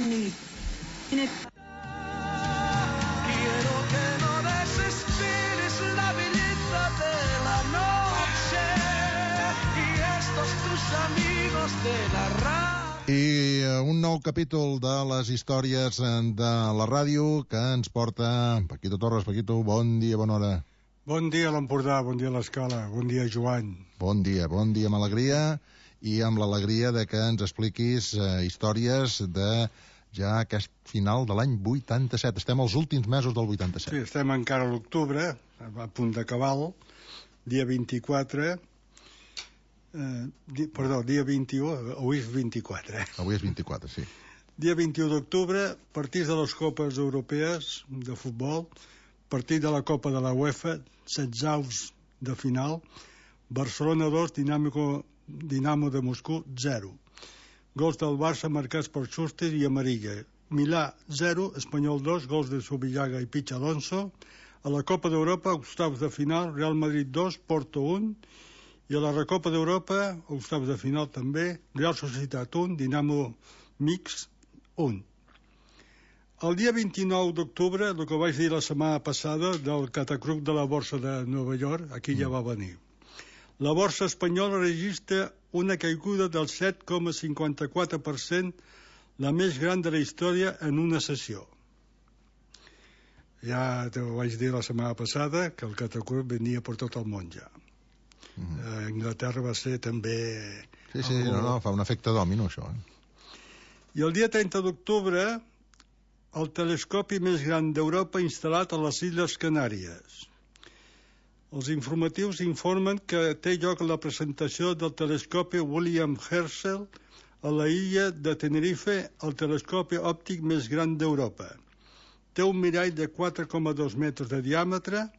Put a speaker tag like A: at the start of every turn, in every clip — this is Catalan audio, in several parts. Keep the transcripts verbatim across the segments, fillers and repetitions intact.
A: ni... Quiero que no desesperes la belleza de la noche y estos tus amigos de la radio.
B: I un nou capítol de les històries de la ràdio que ens porta Paquito Torres. Paquito, bon dia, bona hora.
C: Bon dia a l'Empordà, bon dia a l'Escala, bon dia Joan.
B: Bon dia, bon dia amb alegria i amb l'alegria de que ens expliquis eh, històries de ja aquest final de l'any vuitanta-set. Estem als últims mesos del vuitanta-set.
C: Sí, estem encara a l'octubre, a punt d'acabar, dia vint-i-quatre... Eh, di, perdó, dia vint-i-u, avui és vint-i-quatre. Eh?
B: Avui és vint-i-quatre, sí.
C: Dia vint-i-u d'octubre, partits de les copes europees de futbol, partit de la Copa de la UEFA, setzaus de final, Barcelona dos, Dinamo, Dinamo de Moscou zero. Gols del Barça marcats per Schuster i Amarilla. Milà zero, Espanyol dos, gols de Subillaga i Pichi Alonso. A la Copa d'Europa, octaus de final, Real Madrid dos, Porto un. I a la Recopa d'Europa, octaus de final també, Real Societat un, Dinamo Mix un. El dia vint-i-nou d'octubre, el que vaig dir la setmana passada del catacruc de la borsa de Nova York, aquí ja va venir. La borsa espanyola registra una caiguda del set coma cinquanta-quatre per cent, la més gran de la història en una sessió. Ja t'ho vaig dir la setmana passada, que el catacruc venia per tot el món ja. Uh-huh. A Anglaterra va ser també...
B: Sí, sí, algú... no, no, fa un efecte dòmino, això. Eh?
C: I el dia trenta d'octubre, el telescopi més gran d'Europa instal·lat a les Illes Canàries. Els informatius informen que té lloc la presentació del telescopi William Herschel a la illa de Tenerife, el telescopi òptic més gran d'Europa. Té un mirall de quatre coma dos metres de diàmetre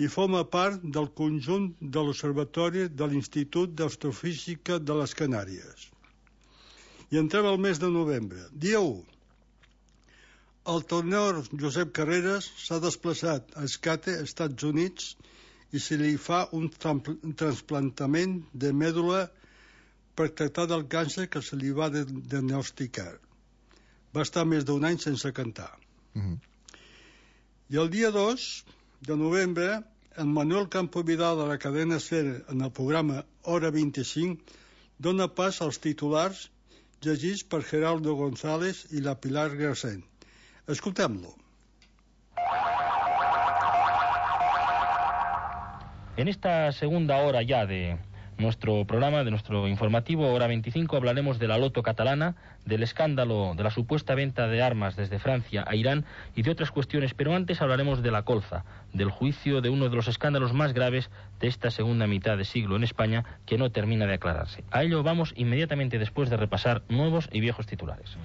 C: i forma part del conjunt de l'Observatori de l'Institut d'Astrofísica de les Canàries. I entrem al mes de novembre. Dia u. El tenor Josep Carreras s'ha desplaçat a Escate, Estats Units, i se li fa un trasplantament de mèdula per tractar del càncer que se li va diagnosticar. Va estar més d'un any sense cantar.
B: Uh-huh.
C: I el dia dos de novembre, en Manuel Campo Vidal de la cadena SER en el programa Hora vint-i-cinc dona pas als titulars llegits per Geraldo González i la Pilar Gracén. Escoltem-lo.
D: En esta segunda hora ya de nuestro programa, de nuestro informativo Hora veinticinco, hablaremos de la loto catalana, del escándalo de la supuesta venta de armas desde Francia a Irán y de otras cuestiones, pero antes hablaremos de la colza, del juicio de uno de los escándalos más graves de esta segunda mitad de siglo en España, que no termina de aclararse. A ello vamos inmediatamente después de repasar nuevos y viejos titulares.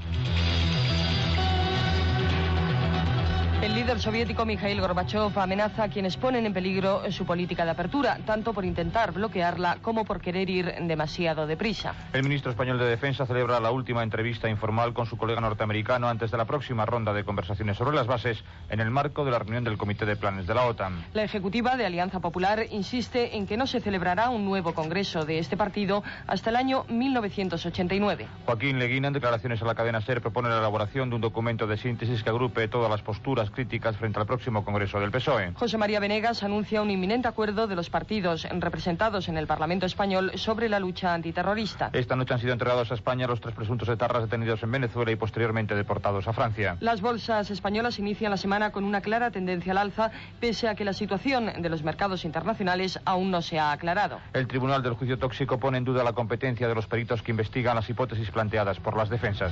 E: El líder soviético Mikhail Gorbachev amenaza a quienes ponen en peligro su política de apertura, tanto por intentar bloquearla como por querer ir demasiado deprisa.
F: El ministro español de Defensa celebra la última entrevista informal con su colega norteamericano antes de la próxima ronda de conversaciones sobre las bases en el marco de la reunión del Comité de Planes de la OTAN.
E: La ejecutiva de Alianza Popular insiste en que no se celebrará un nuevo congreso de este partido hasta el año mil novecientos ochenta y nueve.
F: Joaquín Leguina, en declaraciones a la cadena SER, propone la elaboración de un documento de síntesis que agrupe todas las posturas críticas frente al próximo Congreso del P S O E.
E: José María Venegas anuncia un inminente acuerdo de los partidos representados en el Parlamento español sobre la lucha antiterrorista.
F: Esta noche han sido entregados a España los tres presuntos etarras detenidos en Venezuela y posteriormente deportados a Francia.
E: Las bolsas españolas inician la semana con una clara tendencia al alza, pese a que la situación de los mercados internacionales aún no se ha aclarado.
F: El Tribunal del Juicio Tóxico pone en duda la competencia de los peritos que investigan las hipótesis planteadas por las defensas.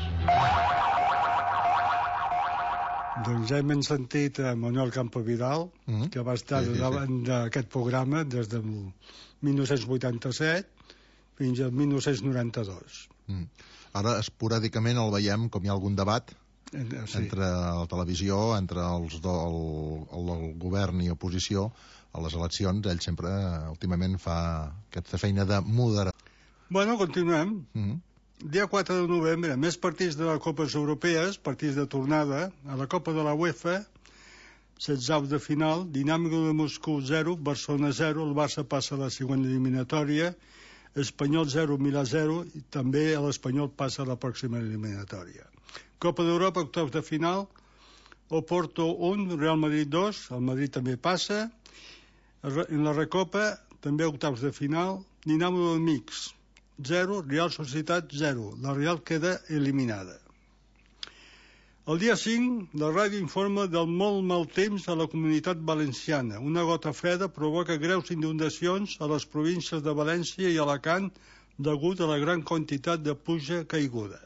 C: Doncs ja hem sentit a Manuel Campo Vidal, mm-hmm. que va estar sí, sí, davant sí. d'aquest programa des del mil nou-cents vuitanta-set fins al mil nou-cents noranta-dos.
B: Mm. Ara, esporàdicament, el veiem com hi ha algun debat eh, sí. entre la televisió, entre els do, el, el, el govern i oposició a les eleccions. Ell sempre, últimament, fa aquesta feina de moderar.
C: Bueno, continuem.
B: Mm-hmm.
C: Dia quatre de novembre, més partits de les Copes Europees, partits de tornada. A la Copa de la UEFA, setzaus de final, Dinamo de Moscou zero, Barcelona zero, el Barça passa a la següent eliminatòria, Espanyol zero, Milà zero, i també l'Espanyol passa a la pròxima eliminatòria. Copa d'Europa, octaus de final, Oporto un, Real Madrid dos, el Madrid també passa. En la Recopa, també octaus de final, Dinamo de Mix, zero, Real Societat zero. La Real queda eliminada. El dia cinc, la ràdio informa del molt mal temps a la Comunitat Valenciana. Una gota freda provoca greus inundacions a les províncies de València i Alacant degut a la gran quantitat de pluja caiguda.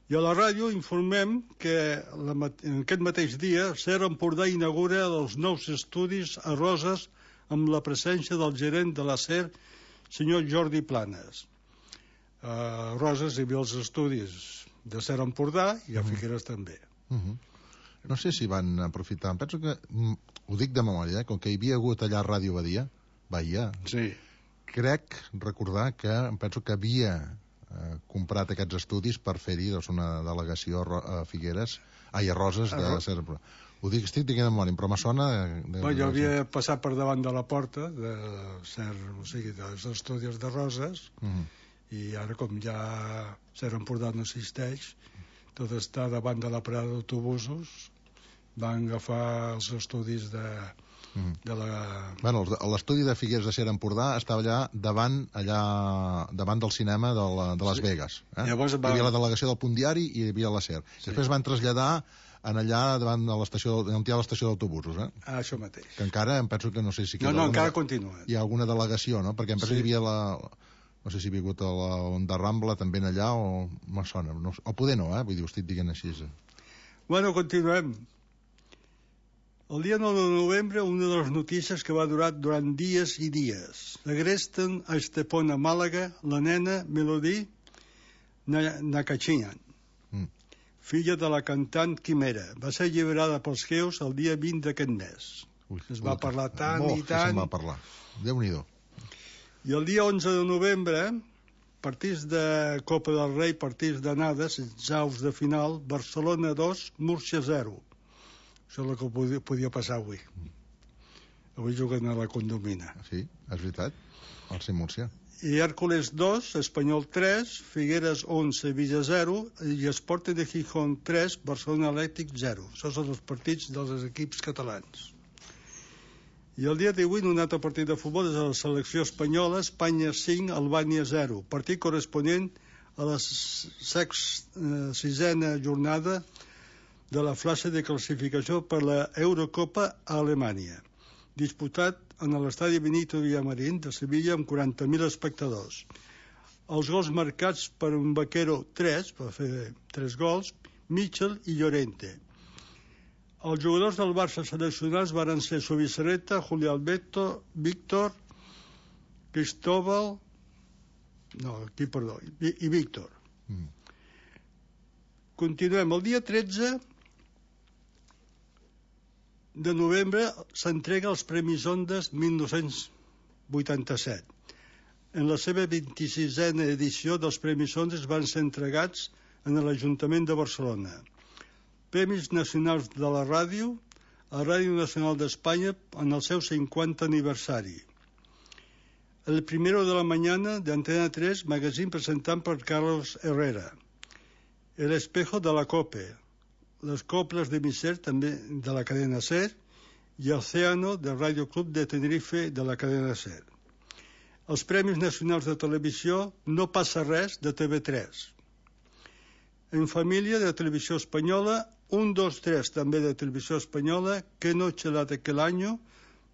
C: I a la ràdio informem que la, en aquest mateix dia Ser Empordà inaugura els nous estudis a Roses amb la presència del gerent de la Ser, senyor Jordi Planes. A Roses hi havia els estudis de Ser Empordà i a Figueres també.
B: Uh -huh. No sé si van aprofitar, penso que, ho dic de memòria, eh? Com que hi havia hagut allà Ràdio Badia, Bahia,
C: sí.
B: Crec recordar que, em penso que havia eh, comprat aquests estudis per fer-hi doncs, una delegació a Figueres, ai, a Roses de la Ser Empordà. Ho dic, estic dient de memòria, però me sona... De, de,
C: bueno, jo havia passat per davant de la porta de Ser, o sigui, dels estudis de Roses, uh -huh. i ara com ja Ser Empordà no existeix, tot està davant de la parada d'autobusos, van agafar els estudis de, mm. de la...
B: Bueno, l'estudi de Figueres de Ser Empordà estava allà davant allà davant del cinema de, la, de Las sí. Vegas. Eh? Llavors va... Hi havia la delegació del Punt Diari i hi havia la Ser. Sí. Després van traslladar en allà davant de l'estació, on hi ha l'estació d'autobusos. Eh?
C: Ah, això mateix.
B: Que encara, em penso que no sé si...
C: No, no, alguna, encara continua.
B: Hi ha alguna delegació, no? Perquè em penso sí. que hi havia la... No sé si he vingut a la Onda Rambla també en allà o me sona. No, o poder no, eh? Vull dir, ho estic dient així. Eh?
C: Bueno, continuem. El dia nou de novembre, una de les notícies que va durar durant dies i dies. Agresten a Estepona, Màlaga, la nena Melody Nakachinian, mm. filla de la cantant Quimera. Va ser alliberada pels geus el dia vint d'aquest mes. Ui, es va parlar tant
B: oh,
C: i tant.
B: Se'n va parlar. Déu-n'hi-do.
C: I el dia onze de novembre, partits de Copa del Rei, partits d'anada, setzaus de final, Barcelona dos, Múrcia zero. Això és el que podia, podia passar avui. Avui juguen a la Condomina.
B: Sí, és veritat, al C Múrcia.
C: I Hèrcules dos, Espanyol tres, Figueres un, Sevilla zero, i Sporting de Gijón tres, Barcelona Atlètic zero. Això són els partits dels equips catalans. I el dia divuit, un altre partit de futbol és la selecció espanyola, Espanya cinc, Albània zero. Partit corresponent a la sisena jornada de la fase de classificació per la Eurocopa a Alemanya, disputat en l'estadi Benito Villamarín de Sevilla amb quaranta mil espectadors. Els gols marcats per un Vaquero tres, per fer tres gols, Mitchell i Llorente. Els jugadors del Barça seleccionats van ser Subisareta, Juli Alberto, Víctor, Cristóbal, no, aquí, perdó, i, i Víctor. Mm. Continuem. El dia tretze de novembre s'entrega els Premis Ondas mil nou-cents vuitanta-set. En la seva vint-i-sisena edició dels Premis Ondas van ser entregats en l'Ajuntament de Barcelona. Premis Nacionals de la Ràdio, a Ràdio Nacional d'Espanya en el seu cinquanta aniversari. El Primero de la Mañana de Antena tres, magazín presentat per Carlos Herrera. El Espejo de la COPE, les coples de Miser, també de la cadena SER, i Océano del Radio Club de Tenerife de la cadena SER. Els Premis Nacionals de Televisió No passa res de T V tres. En Família de Televisió Espanyola, un, dos, tres també de Televisió Espanyola, Que noche la de aquel año,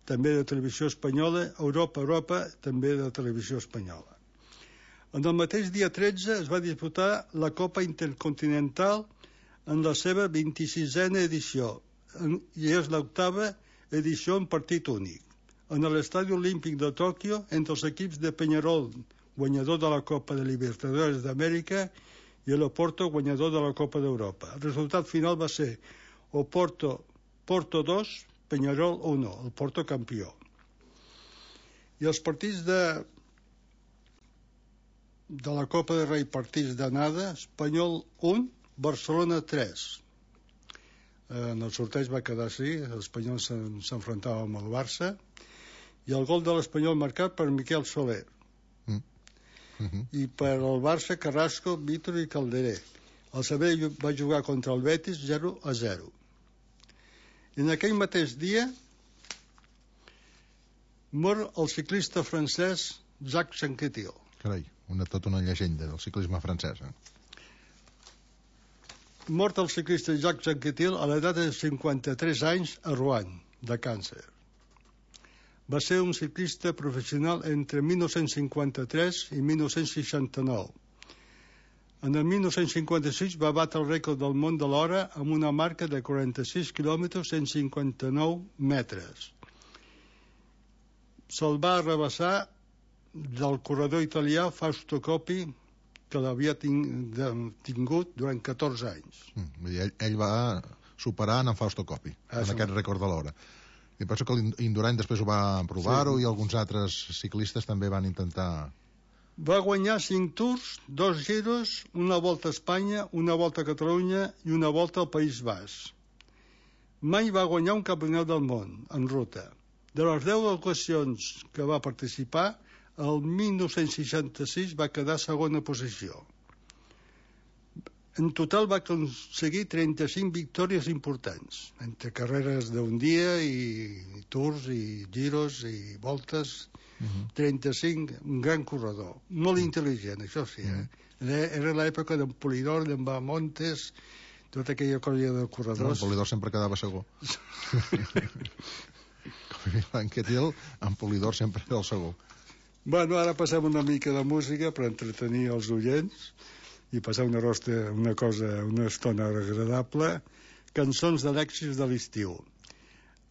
C: també de Televisió Espanyola, Europa, Europa, també de Televisió Espanyola. En el mateix dia tretze es va disputar la Copa Intercontinental en la seva vint-i-sisena edició, i és l'octava edició en partit únic. En l'Estadi Olímpic de Tòquio, entre els equips de Peñarol, guanyador de la Copa de Libertadores d'Amèrica, i l'Oporto, guanyador de la Copa d'Europa. El resultat final va ser Oporto, Porto dos, Peñarol uno, el Porto campió. I els partits de de la Copa de Rei, partits d'anada, Espanyol un, Barcelona tres. En el sorteig va quedar així, l'Espanyol s'enfrontava amb el Barça, i el gol de l'Espanyol marcat per Miquel Soler. Mm. Uh-huh. I per al Barça, Carrasco, Vítor i Calderé. El Sabadell va jugar contra el Betis zero a zero. I en aquell mateix dia mor el ciclista francès Jacques Anquetil.
B: Carai, una, tota una llegenda del ciclisme francès. Eh?
C: Mort el ciclista Jacques Anquetil a l'edat de cinquanta-tres anys a Rouen, de càncer. Va ser un ciclista professional entre mil nou-cents cinquanta-tres i mil nou-cents seixanta-nou. En el mil nou-cents cinquanta-sis va batre el rècord del món de l'hora amb una marca de quaranta-sis quilòmetres cent cinquanta-nou metres. Se'l va arrabassar del corredor italià Fausto Coppi, que l'havia tingut durant catorze anys.
B: Mm, ell, ell va superar en Fausto Coppi, ah, en aquest rècord de l'hora. I penso que l'Indurain després ho va provar-ho, sí. I alguns altres ciclistes també van intentar...
C: Va guanyar cinc tours, dos giros, una volta a Espanya, una volta a Catalunya i una volta al País Basc. Mai va guanyar un campionat del món en ruta. De les deu ocasions que va participar, el mil nou-cents seixanta-sis va quedar segona posició. En total va aconseguir trenta-cinc victòries importants, entre carreres d'un dia i tours i giros i voltes. Uh-huh. trenta-cinc, un gran corredor, molt intel·ligent, això sí, eh? Uh-huh. Era l'època d'en Polidor, d'en Bamontes, tota aquella colla de corredors.
B: No, en Polidor sempre quedava segon. L'Anquetil, en Polidor sempre era el segon.
C: Bueno, ara passem una mica de música per entretenir els oients i passar una, rosta, una cosa, una estona agradable, cançons de l'èxit de l'estiu.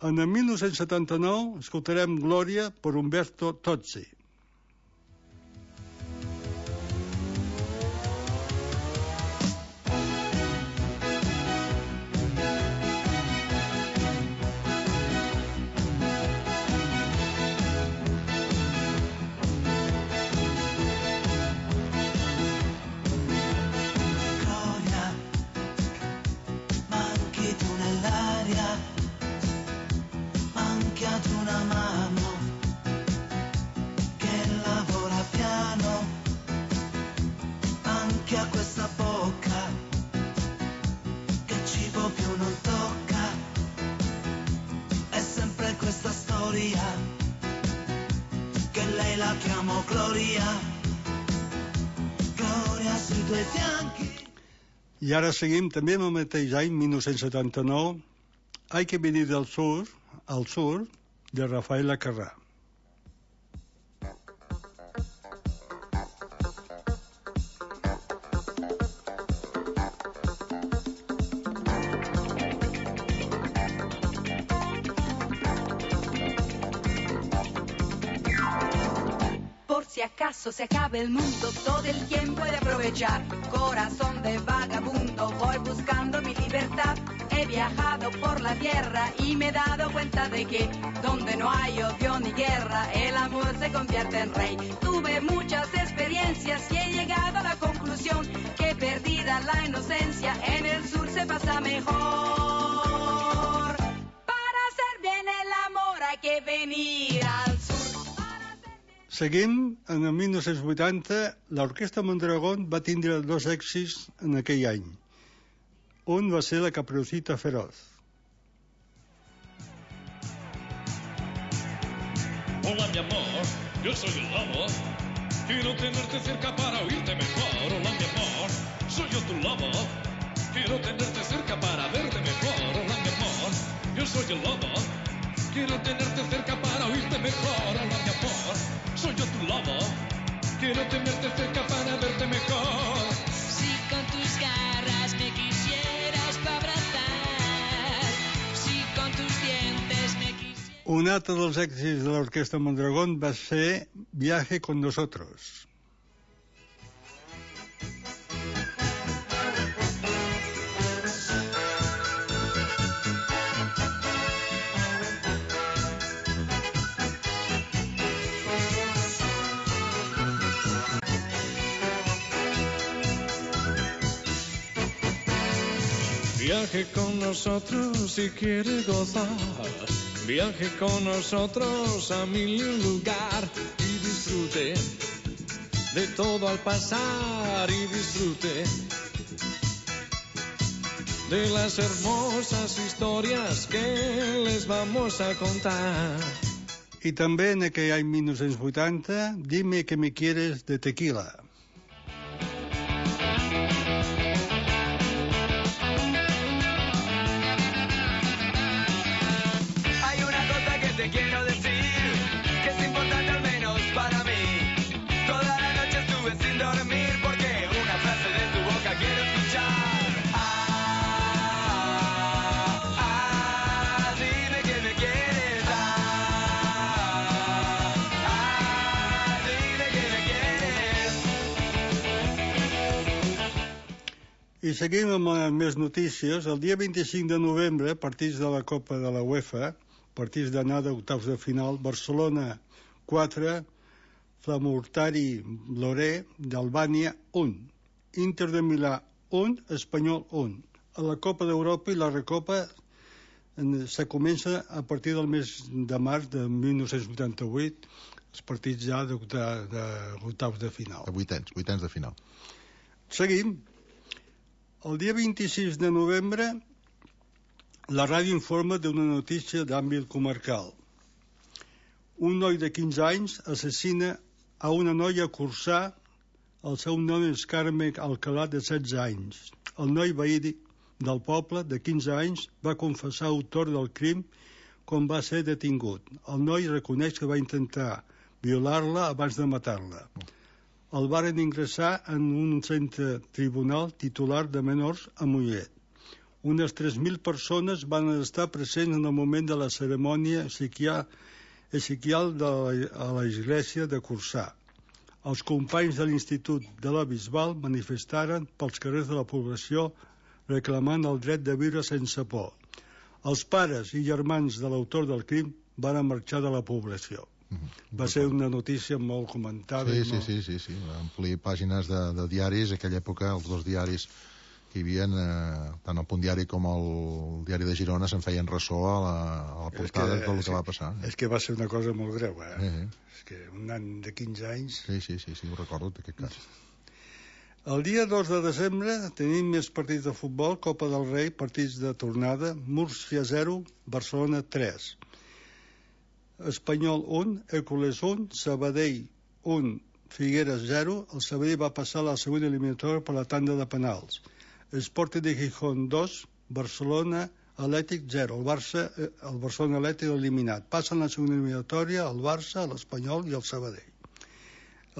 C: En el mil nou-cents setanta-nou escoltarem Glòria per Umberto Tozzi. I ara seguim també en el mateix any, mil nou-cents setanta-nou, Hay que venir del sur, al sur, de Rafael Acarrà.
G: Si acaso se acaba el mundo, todo el tiempo he de aprovechar. Corazón de vagabundo, voy buscando mi libertad. He viajado por la tierra y me he dado cuenta de que donde no hay odio ni guerra, el amor se convierte en rey. Tuve muchas experiencias y he llegado a la conclusión que perdida la inocencia, en el sur se pasa mejor. Para hacer bien el amor hay que venir al sur.
C: Seguim, en el mil nou-cents vuitanta, l'Orquestra Mondragón va tindre dos èxits en aquell any. Un va ser la Caperucita Feroz.
H: Hola, mi amor, yo soy el lobo. Quiero tenerte cerca para oírte mejor. Hola, mi amor, soy yo tu lobo. Quiero tenerte cerca para verte mejor. Hola, mi amor, yo soy el lobo. Quiero tenerte cerca para oírte mejor. Hola, mi amor, soy yo tu lobo. Quiero tenerte cerca para verte mejor.
I: Si con tus garras me quisieras pa' abrazar, si con tus dientes me quisieras...
C: Un altre dels èxits de l'Orquestra Mondragón va ser Viaje con nosotros.
H: Viaje con nosotros si quiere gozar. Viaje con nosotros a mil lugar y disfrute de todo al pasar y disfrute de las hermosas historias que les vamos a contar.
C: I també en aquell any mil nou-cents vuitanta, Dime que me quieres, de Tequila.
A: Hay una cosa que te quiero decir, que es importante al menos para mí. Toda la noche estuve sin dormir porque una frase de tu boca quiero escuchar. Ah, ah, dime que me quieres. Ah, ah, dime que me quieres.
C: I seguim amb les més notícies. El dia vint-i-cinc de novembre, partits de la Copa de la UEFA, partits d'anada octaus de final, Barcelona quatre, Flamurtari Loré d'Albània un, Inter de Milà un, Espanyol un. A la Copa d'Europa i la Recopa en- se comença a partir del mes de març de mil nou-cents vuitanta-vuit, els partits ja d'octa- d'octaus de final.
B: De vuitens, vuitens de final.
C: Seguim. El dia vint-i-sis de novembre, la ràdio informa d'una notícia d'àmbit comarcal. Un noi de quinze anys assassina a una noia a Corçà. El seu nom és Carme Alcalà, de setze anys. El noi veí del poble, de quinze anys, va confessar autor del crim quan va ser detingut. El noi reconeix que va intentar violar-la abans de matar-la. El varen ingressar en un centre tribunal titular de menors a Mollet. Unes tres mil persones van estar presents en el moment de la cerimònia psiquià- psiquial de la, a l'església de Corçà. Els companys de l'Institut de la Bisbal manifestaren pels carrers de la població reclamant el dret de viure sense por. Els pares i germans de l'autor del crim van marxar de la població. Va ser una notícia molt comentada.
B: Sí,
C: i
B: sí,
C: molt...
B: sí, sí, sí. Va omplir pàgines de, de diaris. En aquella època, els dos diaris que hi havia, eh, tant el Punt Diari com el Diari de Girona, se'n feien ressò a la, a la portada de tot el que
C: sí,
B: va passar.
C: És que va ser una cosa molt greu, eh?
B: Sí, sí.
C: És que un nen de quinze anys...
B: Sí, sí, sí, sí, ho recordo, d'aquest cas.
C: El dia dos de desembre tenim més partits de futbol, Copa del Rei, partits de tornada, Múrcia zero, Barcelona tres. Espanyol un, Hércules un, Sabadell un, Figueres zero. El Sabadell va passar a la següent eliminatòria per la tanda de penals. Sporting de Gijón dos, Barcelona Atlètic zero. El Barça, el Barcelona Atlètic eliminat. Passen la següent eliminatòria el Barça, l'Espanyol i el Sabadell.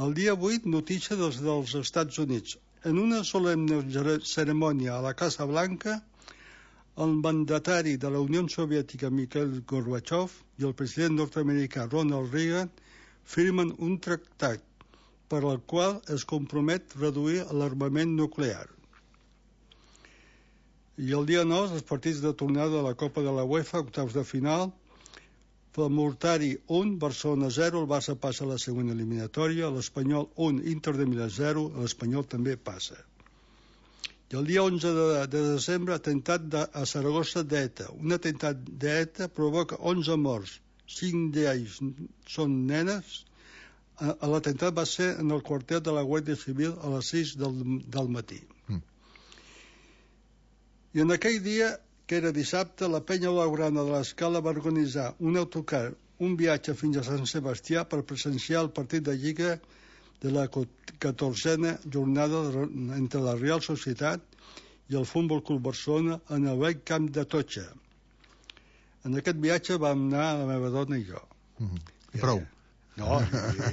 C: El dia vuit, notícia dels, dels Estats Units. En una solemne cerimònia a la Casa Blanca, el mandatari de la Unió Soviètica Mikhail Gorbachev i el president nord-americà Ronald Reagan firmen un tractat per al qual es compromet reduir l'armament nuclear. I el dia nou, els partits de tornada de la Copa de la UEFA, octaus de final, Flamurtari un, Barcelona zero, el Barça passa a la següent eliminatòria, l'Espanyol un, Inter de Milà zero, l'Espanyol també passa. I el dia onze de, de desembre, atemptat de, a Saragossa d'ETA. Un atemptat d'ETA provoca onze morts, cinc d'ells són nenes. L'atemptat va ser en el quartel de la Guàrdia Civil a les sis del, del matí. Mm. I en aquell dia, que era dissabte, la penya blaugrana de l'Escala va organitzar un autocar, un viatge fins a Sant Sebastià per presenciar el partit de Lliga de la catorzena jornada entre la Real Societat i el Futbol Club Barcelona en el vell camp de Totxa. En aquest viatge vam anar la meva dona i jo.
B: Mm-hmm. I prou?
C: No,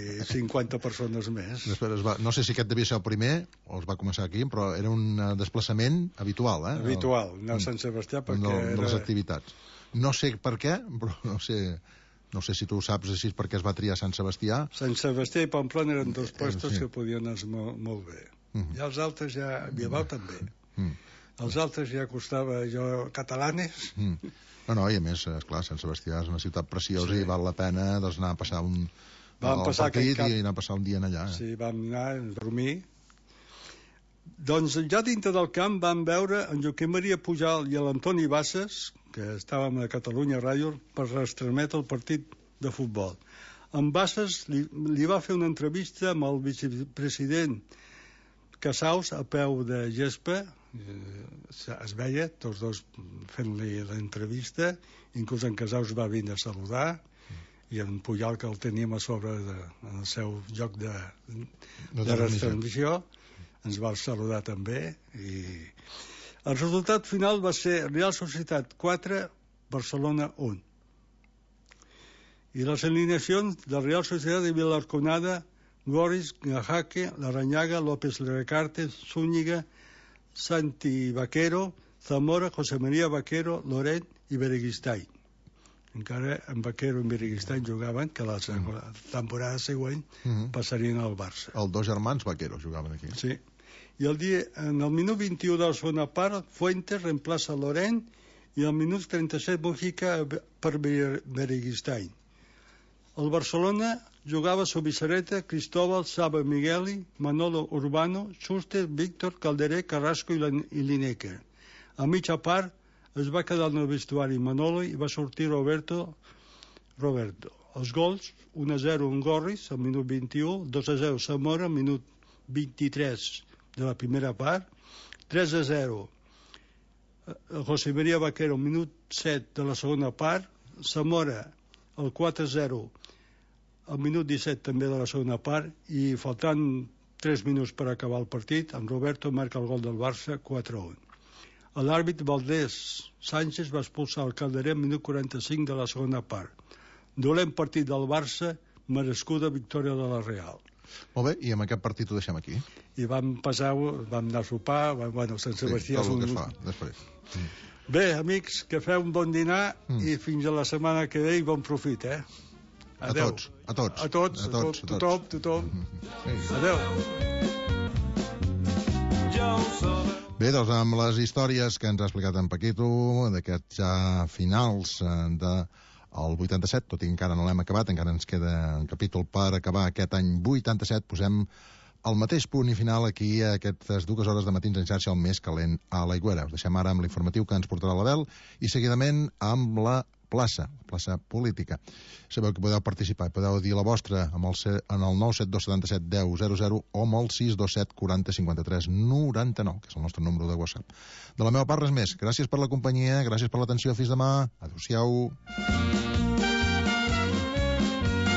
C: i cinquanta persones més.
B: Després es va, no sé si aquest devia ser el primer o es va començar aquí, però era un desplaçament habitual, eh?
C: Habitual, anar a Sant Sebastià perquè
B: no,
C: era...
B: de les activitats. No sé per què, però no sé, no sé si tu ho saps així per què es va triar Sant Sebastià.
C: Sant Sebastià i Pamplona eren dos puestos
B: sí.
C: que podien anar molt, molt bé.
B: Mm.
C: I els altres ja... Bilbao també.
B: Mm.
C: Els altres ja costava jo catalanes.
B: Mm. No, no, i a més, esclar, Sant Sebastià és una ciutat preciosa sí. i val la pena doncs, anar a passar un...
C: Vam passar
B: partit
C: cap...
B: i anar a passar un dia en allà. Eh?
C: Sí, vam anar a dormir. Doncs ja dintre del camp vam veure en Joaquim Maria Pujal i l'Antoni Bassas, que estàvem a Catalunya Ràdio, per retransmetre el partit de futbol. En Bassas li, li va fer una entrevista amb el vicepresident Casals a peu de gespa, eh, es veia, tots dos fent-li l'entrevista, inclús en Casals va venir a saludar, i en Pujol, que el teníem a sobre de, en el seu lloc de, de, de retransmissió, ens va saludar també, i el resultat final va ser Real Societat quatre, Barcelona un. I les alineacions de Real Societat de Vilarconada, Goris, Gajaque, Larrañaga, López Recarte, Zúñiga, Santi Vaquero, Zamora, José María Vaquero, Loret i Bereguistany. Encara en Vaquero i Bereguistany jugaven, que la temporada següent passarien al Barça.
B: Els dos germans Vaquero jugaven aquí.
C: Sí. I el dia, en el minut vint-i-u de la segona part, Fuentes reemplaça Lorent i al minut trenta-set Mujica per Bereguistany. El Barcelona jugava Subisareta, Cristóbal, Saba Migueli, Manolo Urbano, Schuster, Víctor, Calderé, Carrasco i Lineker. A mitja part es va quedar en el vestuari Manolo i va sortir Roberto. Roberto. Els gols, un a zero en Gorris, al minut vint-i-u, dos a zero Zamora, al minut vint-i-tres de la primera part, tres a zero José María Vaquero, minut set de la segona part, Zamora, el quatre a zero al minut disset també de la segona part, i faltant tres minuts per acabar el partit, en Roberto marca el gol del Barça, quatre a un. L'àrbit Valdés Sánchez va expulsar el Calderé al minut quaranta-cinc de la segona part. Dolent partit del Barça, merescuda victòria de la Real.
B: Molt bé, i amb aquest partit ho deixem aquí.
C: I vam passar, vam anar a sopar, bueno, Sant Sebastià...
B: Sí, tot el que es fa, després. Mm.
C: Bé, amics, que feu un bon dinar mm. i fins a la setmana que ve i bon profit, eh? Adeu.
B: A tots, a tots.
C: A tots, a tots, a tothom, tothom. Mm-hmm. Adeu.
B: Bé, doncs amb les històries que ens ha explicat en Paquito, d'aquests ja finals de... el vuitanta-set, tot i que encara no l'hem acabat, encara ens queda un capítol per acabar aquest any vuitanta-set, posem el mateix punt i final aquí a aquestes dues hores de matins en xarxa, el més calent a l'Aigüera. Us deixem ara amb l'informatiu que ens portarà l'Abel i seguidament amb la plaça, la plaça política. Sabeu que podeu participar, podeu dir la vostra amb el, en el nou set dos set set deu zero zero o amb el sis dos set quaranta cinquanta-tres noranta-nou, que és el nostre número de WhatsApp. De la meva part, res més. Gràcies per la companyia, gràcies per l'atenció. Fins demà. Adéu-siau.